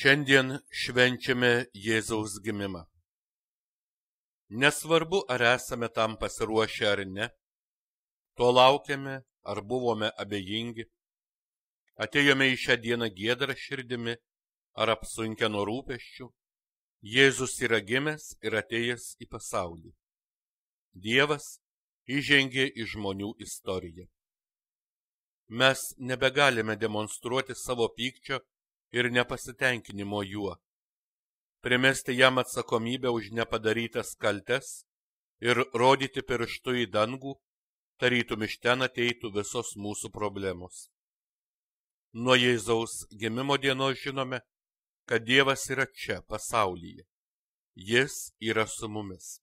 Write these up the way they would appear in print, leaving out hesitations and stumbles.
Šiandien švenčiame Jėzaus gimimą. Nesvarbu, ar esame tam pasiruošę ar ne, to laukiame ar buvome abejingi, atėjome į šią dieną giedrą širdimi ar apsunkę nuo rūpesčių, Jėzus yra gimęs ir atėjęs į pasaulį. Dievas įžengė į žmonių istoriją. Mes nebegalime demonstruoti savo pykčio ir nepasitenkinimo juo, primesti jam atsakomybę už nepadarytas kaltes ir rodyti pirštu į dangų, tarytum iš ten ateitų visos mūsų problemos. Nuo Jėzaus gimimo dienos žinome, kad Dievas yra čia, pasaulyje. Jis yra su mumis.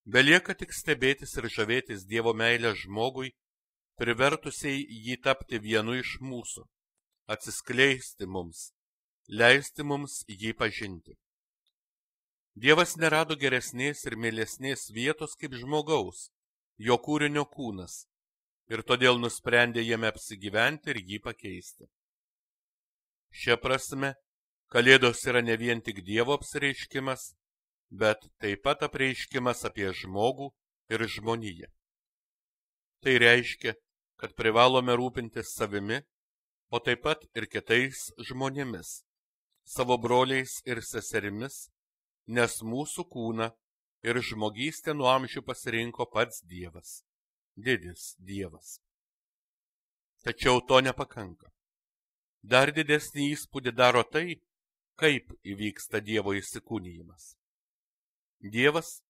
Belieka tik stebėtis ir žavėtis Dievo meilę žmogui, privertusiai jį tapti vienu iš mūsų, atsiskleisti mums, leisti mums jį pažinti. Dievas nerado geresnės ir mielesnės vietos kaip žmogaus, jo kūrinio kūnas, ir todėl nusprendė jame apsigyventi ir jį pakeisti. Šia prasme, Kalėdos yra ne vien tik Dievo apsireiškimas, bet taip pat apreiškimas apie žmogų ir žmoniją. Tai reiškia, kad privalome rūpintis savimi, o taip pat ir kitais žmonėmis, savo broliais ir seserimis, nes mūsų kūną ir žmogystę nuo amžių pasirinko pats Dievas, didis Dievas. Tačiau to nepakanka. Dar didesnį įspūdį daro tai, kaip įvyksta Dievo įsikūnijimas. Dievas,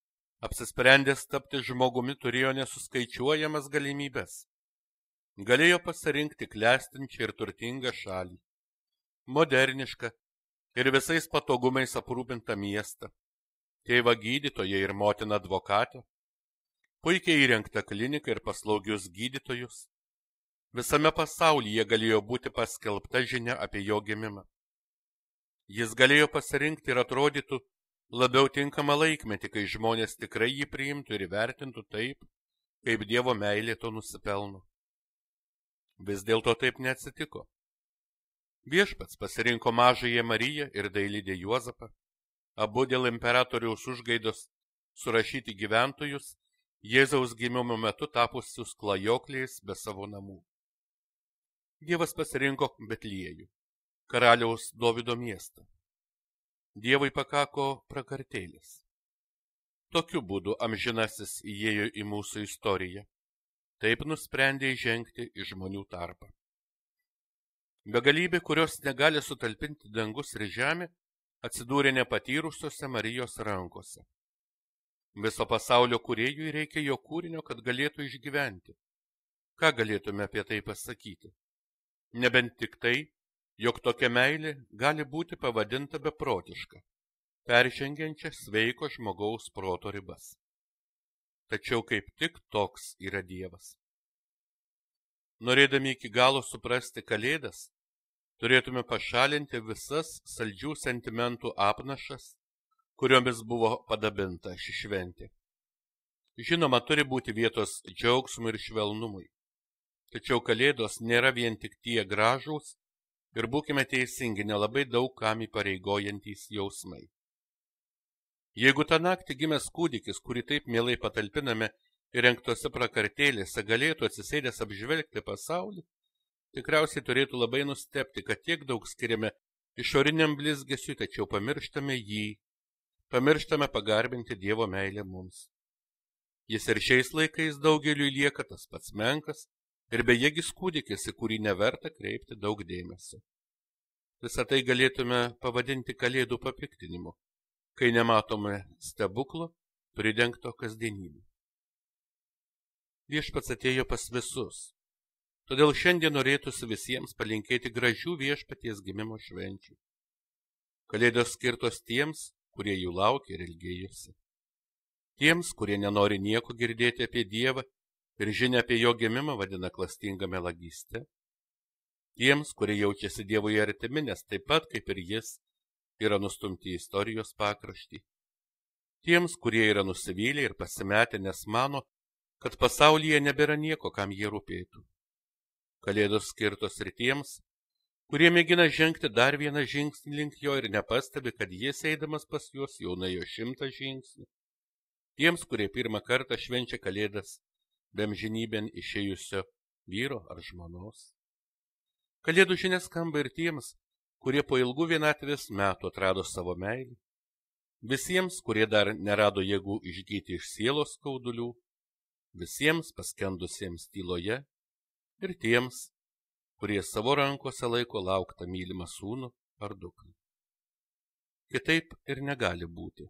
apsisprendęs tapti žmogumi, turėjo nesuskaičiuojamas galimybes. Galėjo pasirinkti klestinčią ir turtingą šalį, modernišką ir visais patogumais aprūpintą miestą, tėvą gydytoją ir motiną advokatę, puikiai įrengtą kliniką ir paslaugius gydytojus. Visame pasaulyje galėjo būti paskelbta žinia apie jo gimimą. Jis galėjo pasirinkti ir atrodytų labiau tinkamą laikmetį, kai žmonės tikrai jį priimtų ir įvertintų taip, kaip Dievo meilė to nusipelno. Vis dėlto taip neatsitiko. Viešpats pasirinko mažąją Mariją ir dailydę Juozapą, abu dėl imperatoriaus užgaidos surašyti gyventojus, Jėzaus gimimo metu tapusius klajokliais be savo namų. Dievas pasirinko Betliejų, karaliaus Dovydo miestą. Dievui pakako prakartėlės. Tokiu būdu amžinasis įėjo į mūsų istoriją. Taip nusprendė įžengti į žmonių tarpą. Begalybė, kurios negali sutalpinti dangus ir žemė, atsidūrė nepatyrusiose Marijos rankose. Viso pasaulio kūrėjui reikia jo kūrinio, kad galėtų išgyventi. Ką galėtume apie tai pasakyti? Nebent tik tai, jog tokia meilė gali būti pavadinta beprotiška, peržengiančia sveiko žmogaus proto ribas. Tačiau kaip tik toks yra Dievas. Norėdami iki galo suprasti Kalėdas, turėtume pašalinti visas saldžių sentimentų apnašas, kuriomis buvo padabinta ši šventė. Žinoma, turi būti vietos džiaugsmui ir švelnumui. Tačiau Kalėdos nėra vien tik tie gražūs ir būkime teisingi, nelabai daug kam įpareigojantys jausmai. Jeigu tą naktį gimęs kūdikis, kurį taip mielai patalpiname įrengtose prakartėlėse, galėtų atsisėdęs apžvelgti pasaulį, tikriausiai turėtų labai nustebti, kad tiek daug skiriame išoriniam blizgesiui, tačiau pamirštame jį, pamirštame pagarbinti Dievo meilę mums. Jis ir šiais laikais daugeliui lieka tas pats menkas ir bejėgis kūdikis, į kurį neverta kreipti daug dėmesio. Visą tai galėtume pavadinti Kalėdų papiktinimu, kai nematome stebuklo pridengto kasdienybę. Viešpats atėjo pas visus, todėl šiandien norėtųsi visiems palinkėti gražių Viešpaties gimimo švenčių. Kalėdos skirtos tiems, kurie jų laukia ir ilgėjosi. Tiems, kurie nenori nieko girdėti apie Dievą ir žinia apie jo gimimą vadina klastinga melagyste. Tiems, kurie jaučiasi Dievui artimi, nes taip pat kaip ir jis yra nustumti į istorijos pakraštį. Tiems, kurie yra nusivylę ir pasimetę, nes mano, kad pasaulyje nebėra nieko, kam jie rūpėtų. Kalėdos skirtos ir tiems, kurie mėgina žengti dar vieną žingsnį link jo ir nepastebi, kad jis eidamas pas juos jau nuėjo 100 žingsnių. Tiems, kurie pirmą kartą švenčia Kalėdas be amžinybėn išėjusio vyro ar žmonos. Kalėdų žinia skamba ir tiems, kurie po ilgų vienatvės metų atrado savo meilį. Visiems, kurie dar nerado jėgų išgyti iš sielos skaudulių, visiems paskendusiems tyloje ir tiems, kurie savo rankose laiko lauktą mylimą sūnų ar dukrą. Kitaip ir negali būti,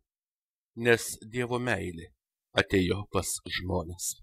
nes Dievo meilė atėjo pas žmones.